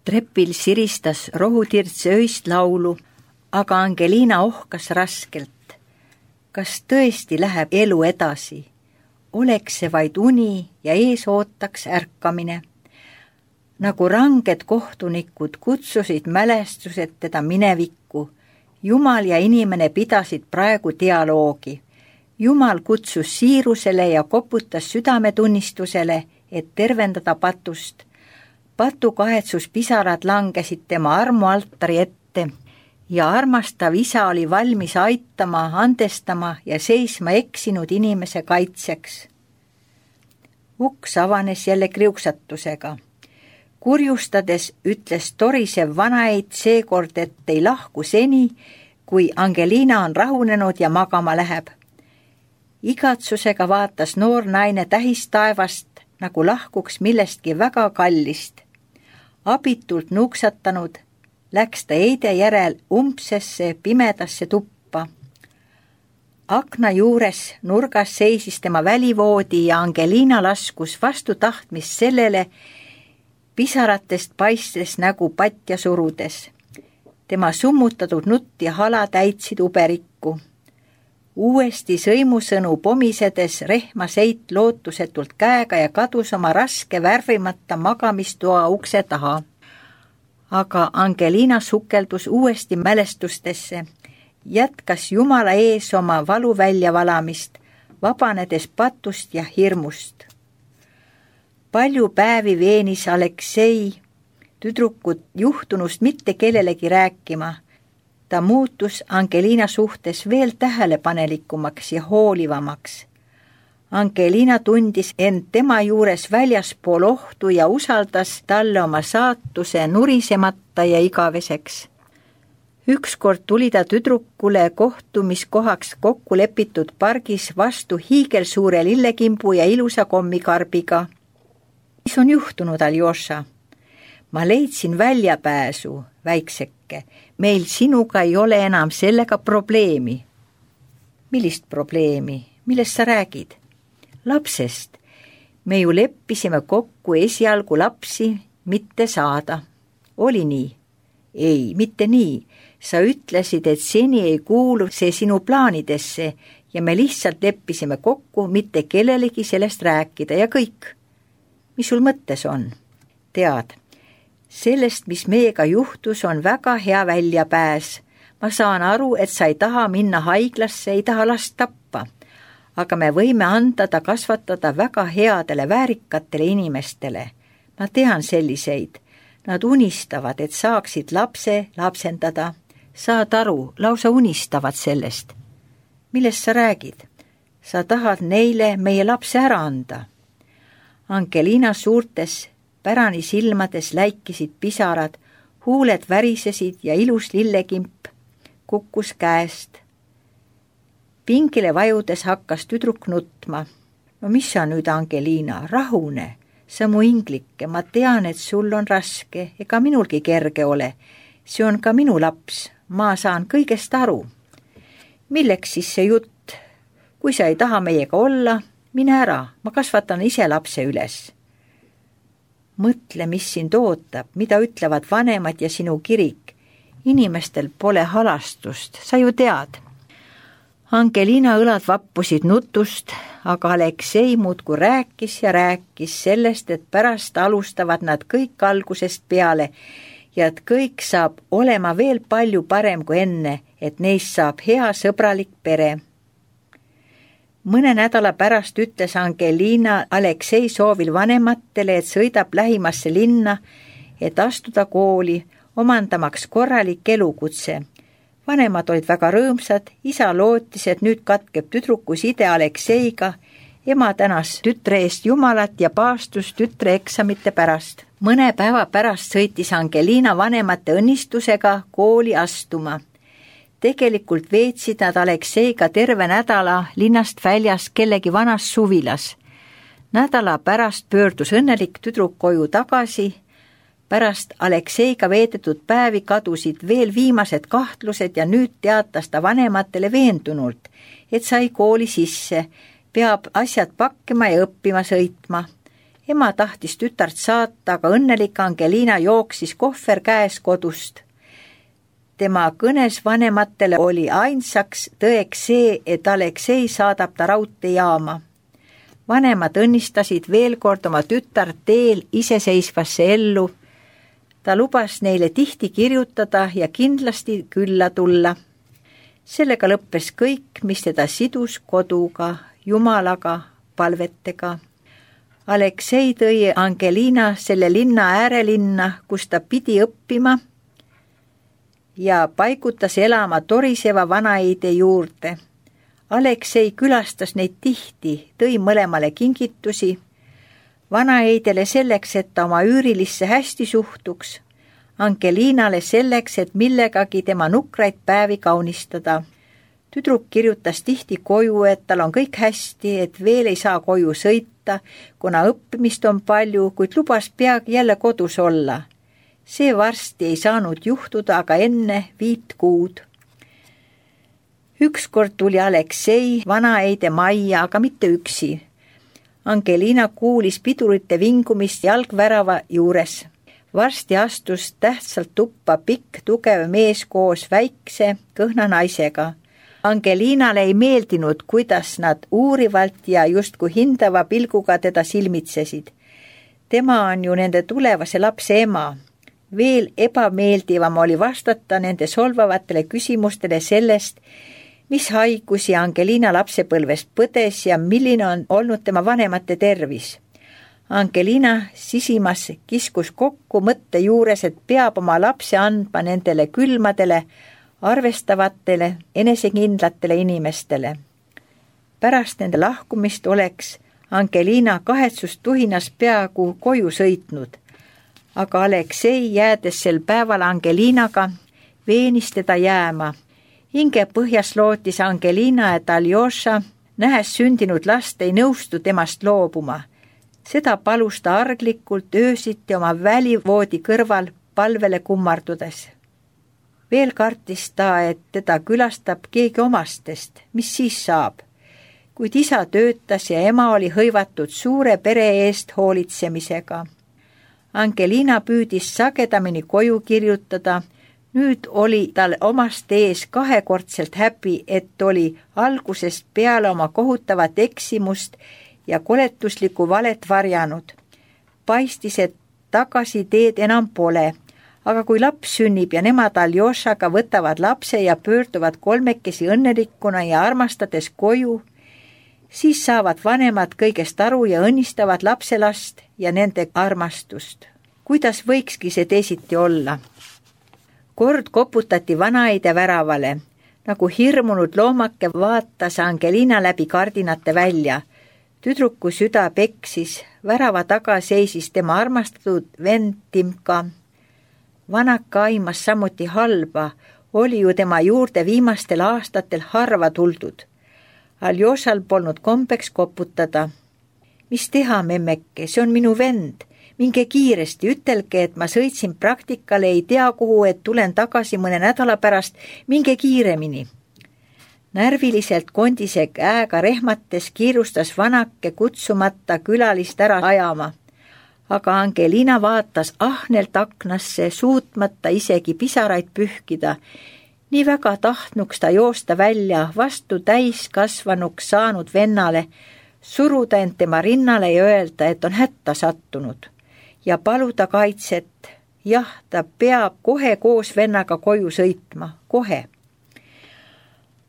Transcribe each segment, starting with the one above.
Trepil siristas rohutirts öist laulu, aga Angelina ohkas raskelt. Kas tõesti läheb elu edasi? Oleks see vaid uni ja ees ootaks ärkamine. Nagu ranged kohtunikud kutsusid mälestused teda minevikku. Jumal ja inimene pidasid praegu dialoogi. Jumal kutsus siirusele ja koputas südametunnistusele, et tervendada patust. Patu kahetsuspisarad langesid tema armualtari ette ja armastav isa oli valmis aitama, andestama ja seisma eksinud inimese kaitseks. Uks avanes jälle kriuksatusega. Kurjustades ütles torisev vanaid seekord, et ei lahku seni, kui Angelina on rahunenud ja magama läheb. Igatsusega vaatas noor naine tähistaevast, nagu lahkuks millestki väga kallist. Abitult nuuksatanud, läks ta eide järel umbsesse pimedasse tuppa. Akna juures nurgas seisis tema välivoodi ja Angelina laskus vastu tahtmist sellele, pisaratest paistes nägu patja surudes. Tema summutatud nutt ja hala täitsid uberikku. Uuesti sõimusõnu pomisedes rehma seit lootusetult käega ja kadus oma raske värvimata magamistoa ukse taha. Aga Angelina sukeldus uuesti mälestustesse, jätkas Jumala ees oma valu väljavalamist, vabanedes patust ja hirmust. Palju päevi veenis Aleksei tüdrukut juhtunust mitte kellelegi rääkima. Ta muutus Angelina suhtes veel tähelepanelikumaks ja hoolivamaks. Angelina tundis end tema juures väljaspool ohtu ja usaldas talle oma saatuse nurisemata ja igaveseks. Ükskord tuli ta tüdrukule kohtumiskohaks kokku lepitud pargis vastu hiigelsuure lillekimbu ja ilusa kommikarbiga. Mis on juhtunud, Aljoša? Ma leidsin väljapääsu, väikseke. Meil sinuga ei ole enam sellega probleemi. Millist probleemi? Millest sa räägid? Lapsest. Me ju leppisime kokku esialgu lapsi mitte saada. Oli nii? Ei, mitte nii. Sa ütlesid, et seni ei kuulu see sinu plaanidesse ja me lihtsalt leppisime kokku mitte kellelegi sellest rääkida ja kõik. Mis sul mõttes on? Tead, sellest, mis meiega juhtus, on väga hea väljapääs. Ma saan aru, et sa ei taha minna haiglasse, ei taha last tappa. Aga me võime anda ta kasvatada väga headele väärikatele inimestele. Ma tean selliseid. Nad unistavad, et saaksid lapse lapsendada. Saad aru, lausa unistavad sellest. Millest sa räägid? Sa tahad neile meie lapse ära anda. Angelina suurtes pärani silmades läikisid pisarad, huuled värisesid ja ilus lillekimp kukkus käest. Pingile vajudes hakkas tüdruk nutma. No mis sa nüüd, Angelina, rahune? Sa mu inglike, ma tean, et sul on raske, ega minulgi kerge ole. See on ka minu laps, ma saan kõigest aru. Milleks siis see jutt? Kui sa ei taha meiega olla, mine ära, ma kasvatan ise lapse üles. Mõtle, mis sind ootab, mida ütlevad vanemad ja sinu kirik. Inimestel pole halastust, sa ju tead. Angelina õlad vappusid nutust, aga Aleksei muudkui rääkis ja rääkis sellest, et pärast alustavad nad kõik algusest peale ja et kõik saab olema veel palju parem kui enne, et neist saab hea sõbralik pere. Mõne nädala pärast ütles Angelina Aleksei soovil vanematele, et sõidab lähimasse linna, et astuda kooli, omandamaks korralik elukutse. Vanemad olid väga rõõmsad, isa lootis, et nüüd katkeb tüdruku side Alekseiga, ema tänas tütre eest Jumalat ja paastus tütre eksamite pärast. Mõne päeva pärast sõitis Angelina vanemate õnnistusega kooli astuma. Tegelikult veetsid nad Alekseiga terve nädala linnast väljas kellegi vanas suvilas. Nädala pärast pöördus õnnelik tüdruk koju tagasi. Pärast Alekseiga veedetud päevi kadusid veel viimased kahtlused ja nüüd teatas ta vanematele veendunult, et sai kooli sisse, peab asjad pakkima ja õppima sõitma. ema tahtis tütart saata, aga õnnelik Angelina jooksis kohver käes kodust. Tema kõnes vanematele oli ainsaks tõeks see, et Aleksei saadab ta raudteejaama. Vanemad õnnistasid veel kord oma tütart teel iseseisvasse ellu. Ta lubas neile tihti kirjutada ja kindlasti külla tulla. Sellega lõppes kõik, mis teda sidus koduga, Jumalaga, palvetega. Aleksei tõi Angelina selle linna äärelinna, kus ta pidi õppima ja paigutas elama toriseva vanaeide juurde. Aleksei külastas neid tihti, tõi mõlemale kingitusi, vanaeidele selleks, et ta oma üürilisse hästi suhtuks, Angelinale selleks, et millegagi tema nukraid päevi kaunistada. Tüdruk kirjutas tihti koju, et tal on kõik hästi, et veel ei saa koju sõita, kuna õppimist on palju, kuid lubas peagi jälle kodus olla. See varsti ei saanud juhtuda, aga enne 5 kuud. Ükskord tuli Aleksei vanaeide majja, aga mitte üksi. Angelina kuulis pidurite vingumist jalgvärava juures. Varsti astus tähtsalt tuppa pikk, tugev mees koos väikse, kõhna naisega. Angelinale ei meeldinud, kuidas nad uurivalt ja justkui hindava pilguga teda silmitsesid. Tema on ju nende tulevase lapse ema. Veel ebameeldivam oli vastata nende solvavatele küsimustele sellest, mis haigusi Angelina lapsepõlves põdes ja milline on olnud tema vanemate tervis. Angelina sisimas kiskus kokku mõtte juures, et peab oma lapse andma nendele külmadele, arvestavatele, enesekindlatele inimestele. Pärast nende lahkumist oleks Angelina kahetsustuhinas peaaegu koju sõitnud, aga Aleksei, jäädes sel päeval Angelinaga, veenis teda jääma. Hinge põhjas lootis Angelina, et Aljoša, nähes sündinud last, ei nõustu temast loobuma. Seda palus ta arglikult öösiti oma välivoodi kõrval palvele kummardudes. Veel kartis ta, et teda külastab keegi omastest, mis siis saab. Kuid isa töötas ja ema oli hõivatud suure pere eest hoolitsemisega. Angelina püüdis sagedamini koju kirjutada. Nüüd oli tal omast ees 2-kordselt häbi, et oli algusest peale oma kohutavat eksimust ja koletuslikku valet varjanud. Paistis, et tagasi teed enam pole. Aga kui laps sünnib ja nemad Aljošaga võtavad lapse ja pöörduvad kolmekesi õnnelikkuna ja armastades koju, siis saavad vanemad kõigest aru ja õnnistavad lapselast ja nende armastust. Kuidas võikski see teisiti olla? Kord koputati vanaeide väravale. Nagu hirmunud loomake vaatas Angelina läbi kardinate välja. Tüdruku süda peksis, värava taga seisis tema armastatud vend Timka. Vanaka aimas samuti halba, oli ju tema juurde viimastel aastatel harva tuldud. Aljošal polnud kombeks koputada. Mis teha, memmeke, see on minu vend. Minge kiiresti, ütelge, et ma sõitsin praktikale, ei tea kuhu, et tulen tagasi mõne nädala pärast, minge kiiremini. Närviliselt kondise käega rehmates kiirustas vanake kutsumata külalist ära ajama. Aga Angelina vaatas ahnelt aknasse, suutmata isegi pisaraid pühkida. Nii väga tahtnuks ta joosta välja vastu täiskasvanuks saanud vennale, suruda end tema rinnale ja öelda, et on hätta sattunud. Ja paluda kaitset. Jah, ta peab kohe koos vennaga koju sõitma. Kohe.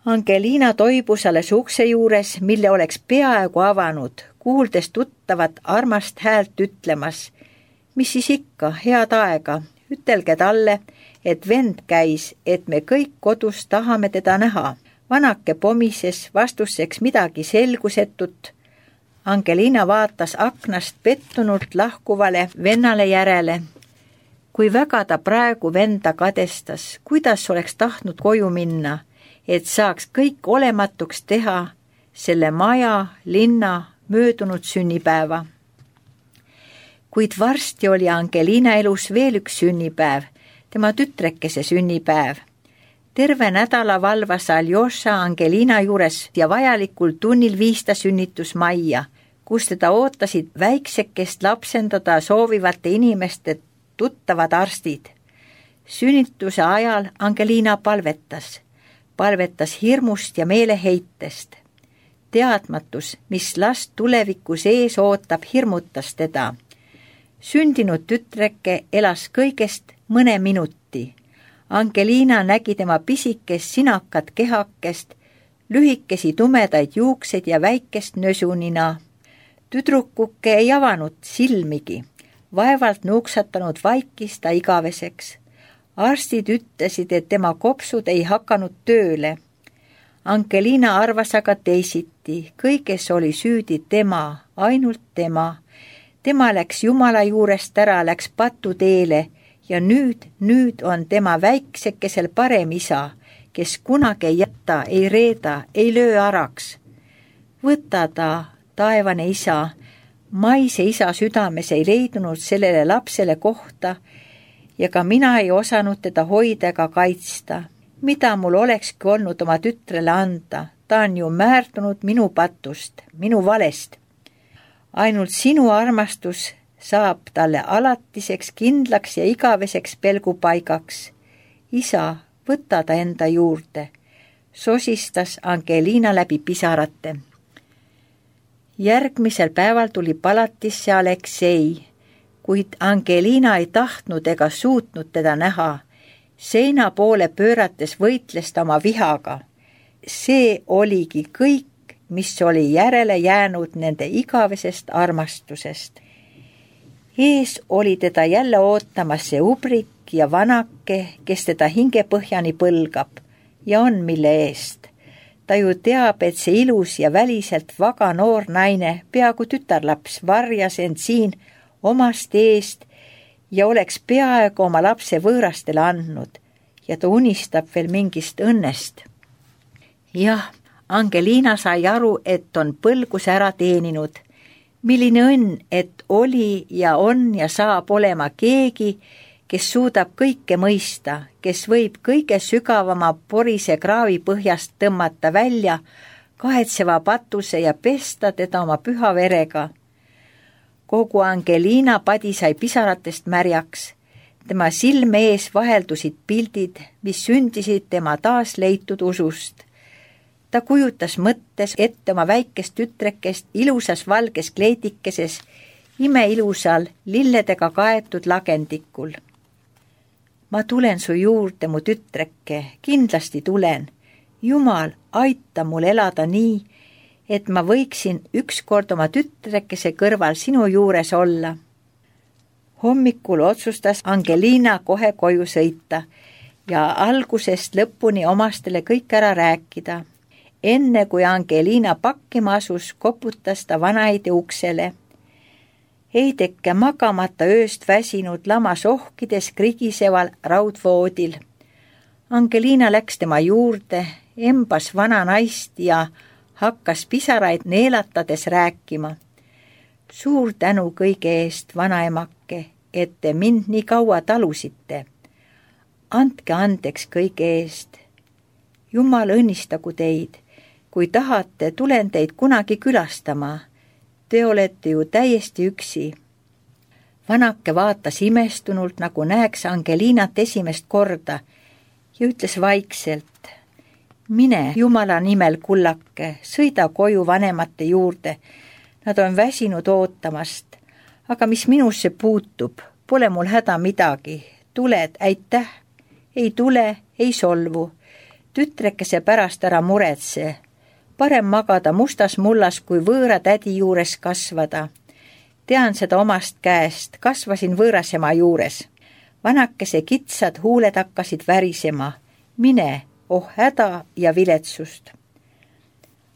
Angelina toibus alles ukse juures, mille oleks peaaegu avanud, kuuldes tuttavat armast häält ütlemas. Mis siis ikka, head aega, ütelge talle, et vend käis, et me kõik kodus tahame teda näha. Vanake pomises vastuseks midagi selgusetut. Angelina vaatas aknast pettunult lahkuvale vennale järele. Kui väga ta praegu venda kadestas, kuidas oleks tahtnud koju minna, et saaks kõik olematuks teha selle maja, linna, möödunud sünnipäeva. Kuid varsti oli Angelina elus veel üks sünnipäev, tema tütrekese sünnipäev. Terve nädala valvas Aljoša Angelina juures ja vajalikul tunnil viis ta sünnitusmajja, kus teda ootasid väiksekest lapsendada soovivate inimeste tuttavad arstid. Sünnituse ajal Angelina palvetas hirmust ja meeleheitest. Teadmatus, mis last tulevikus ees ootab, hirmutas teda. Sündinud tütreke elas kõigest mõne minuti. Angelina nägi tema pisikest sinakat kehakest, lühikesi tumedaid juukseid ja väikest nösunina. Tüdrukuke ei avanud silmigi, vaevalt nuuksatanud vaikis ta igaveseks. Arstid ütlesid, et tema kopsud ei hakanud tööle. Angelina arvas aga teisiti, kõiges oli süüdi tema, ainult tema. Tema läks Jumala juurest ära, läks patuteele ja nüüd on tema väiksekesel parem isa, kes kunagi ei jäta, ei reeda, ei löö araks. Võta ta, taevane isa, maise isa südames ei leidunud sellele lapsele kohta ja ka mina ei osanud teda hoida ega kaitsta. Mida mul olekski olnud oma tütrele anda, ta on ju määrdunud minu patust, minu valest. Ainult sinu armastus saab talle alatiseks, kindlaks ja igaveseks pelgupaigaks. Isa, võta ta enda juurde, sosistas Angelina läbi pisarate. Järgmisel päeval tuli palatisse Aleksei, kuid Angelina ei tahtnud ega suutnud teda näha. Seina poole pöörates võitles ta oma vihaga. See oligi kõik, mis oli järele jäänud nende igavesest armastusest. Ees oli teda jälle ootamas see ubrik ja vanake, kes teda hingepõhjani põlgab ja on mille eest. Ta ju teab, et see ilus ja väliselt vaga noor naine, peaaegu tütarlaps, varjas end siin omast eest ja oleks peaaegu oma lapse võõrastele andnud ja ta unistab veel mingist õnnest. Jah, Angelina sai aru, et on põlguse ära teeninud. Milline õnn, et oli ja on ja saab olema keegi, kes suudab kõike mõista, kes võib kõige sügavama porise kraavi põhjast tõmmata välja kahetseva patuse ja pesta teda oma püha verega. Kogu Angelina padi sai pisaratest märjaks. Tema silme ees vaheldusid pildid, mis sündisid tema taas leitud usust. Ta kujutas mõttes ette oma väikest tütrekest ilusas valges kleidikeses, imeilusal lilledega kaetud lagendikul. Ma tulen su juurde, mu tütreke, kindlasti tulen. Jumal, aita mul elada nii, et ma võiksin ükskord oma tütrekese kõrval sinu juures olla. Hommikul otsustas Angelina kohe koju sõita ja algusest lõpuni omastele kõik ära rääkida. Enne kui Angelina pakkima asus, koputas ta vanaide uksele. Heideke magamata ööst väsinud lamas ohkides krigiseval raudvoodil. Angelina läks tema juurde, embas vana naist ja hakkas pisaraid neelatades rääkima. Suur tänu kõige eest, vanaemake, et te mind nii kaua talusite. Andke andeks kõige eest. Jumal õnnistagu teid. Kui tahate, tulen teid kunagi külastama. Te olete ju täiesti üksi. Vanake vaatas imestunult, nagu näeks Angelinat esimest korda ja ütles vaikselt. Mine Jumala nimel, kullake, sõida koju vanemate juurde. Nad on väsinud ootamast. Aga mis minusse puutub, pole mul häda midagi. Tuled, aitäh. Ei tule, ei solvu. Tütrekese pärast ära muretse. Parem magada mustas mullas, kui võõra tädi juures kasvada. Tean seda omast käest, kasvasin võõrasema juures. Vanakese kitsad huuled hakkasid värisema. Mine, oh häda ja viletsust.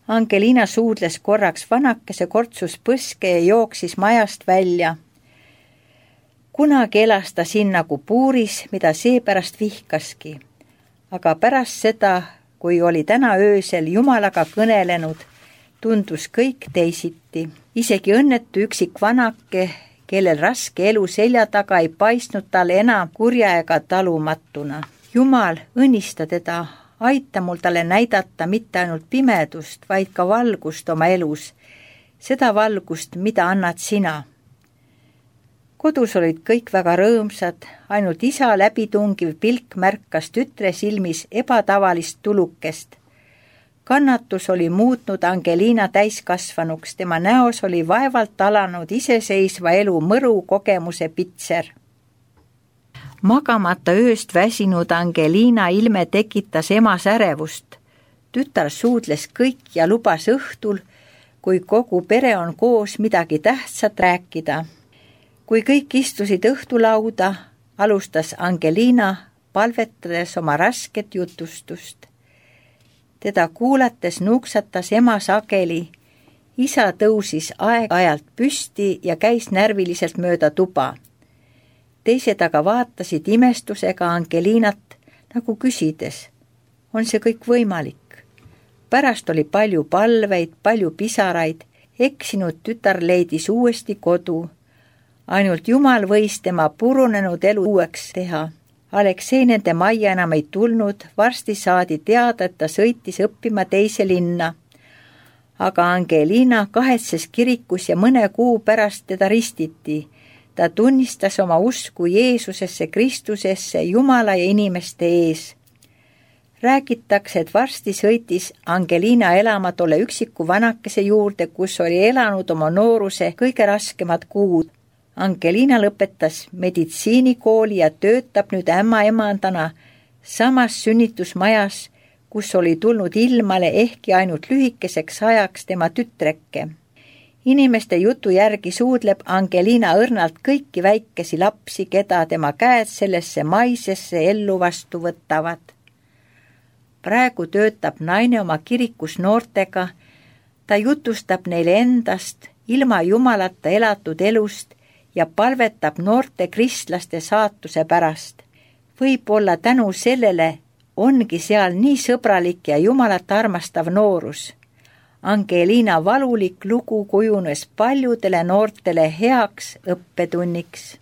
Angelina suudles korraks, vanakese kortsus põske ja jooksis majast välja. Kunagi elas ta siin nagu puuris, mida seepärast vihkaski. Aga pärast seda, kui oli täna öösel Jumalaga kõnelenud, tundus kõik teisiti. Isegi õnnetu üksik vanake, kellel raske elu selja taga ei paistnud talle enam kurja ega talumatuna. Jumal, õnnista teda, aita mul talle näidata mitte ainult pimedust, vaid ka valgust oma elus. seda valgust, mida annad sina. Kodus olid kõik väga rõõmsad, ainult isa läbitungiv pilk märkas tütre silmis ebatavalist tulukest. Kannatus oli muutnud Angelina täiskasvanuks, tema näos oli vaevalt alanud iseseisva elu mõru kogemuse pitser. Magamata ööst väsinud Angelina ilme tekitas emas ärevust. Tütar suudles kõik ja lubas õhtul, kui kogu pere on koos, midagi tähtsat rääkida. Kui kõik istusid õhtulauda, alustas Angelina palvetades oma rasket jutustust. Teda kuulates nuuksatas ema sageli. Isa tõusis aeg-ajalt püsti ja käis närviliselt mööda tuba. Teised aga vaatasid imestusega Angelinat, nagu küsides, on see kõik võimalik? Pärast oli palju palveid, palju pisaraid, eksinud tütar leidis uuesti kodu. Ainult Jumal võis tema purunenud elu uueks teha. Aleksei nende majja enam ei tulnud, varsti saadi teada, et ta sõitis õppima teise linna. Aga Angelina kahetses kirikus ja mõne kuu pärast teda ristiti. Ta tunnistas oma usku Jeesusesse, Kristusesse, Jumala ja inimeste ees. Räägitakse, et varsti sõitis Angelina elama tolle üksiku vanakese juurde, kus oli elanud oma nooruse kõige raskemad kuud. Angelina lõpetas meditsiinikooli ja töötab nüüd ämmaemandana samas sünnitusmajas, kus oli tulnud ilmale ehkki ainult lühikeseks ajaks tema tütreke. Inimeste jutu järgi suudleb Angelina õrnalt kõiki väikesi lapsi, keda tema käed sellesse maisesse ellu vastu võtavad. Praegu töötab naine oma kirikus noortega, ta jutustab neile endast, ilma Jumalata elatud elust ja palvetab noorte kristlaste saatuse pärast. Võib-olla tänu sellele ongi seal nii sõbralik ja Jumalat armastav noorus. Angelina valulik lugu kujunes paljudele noortele heaks õppetunniks.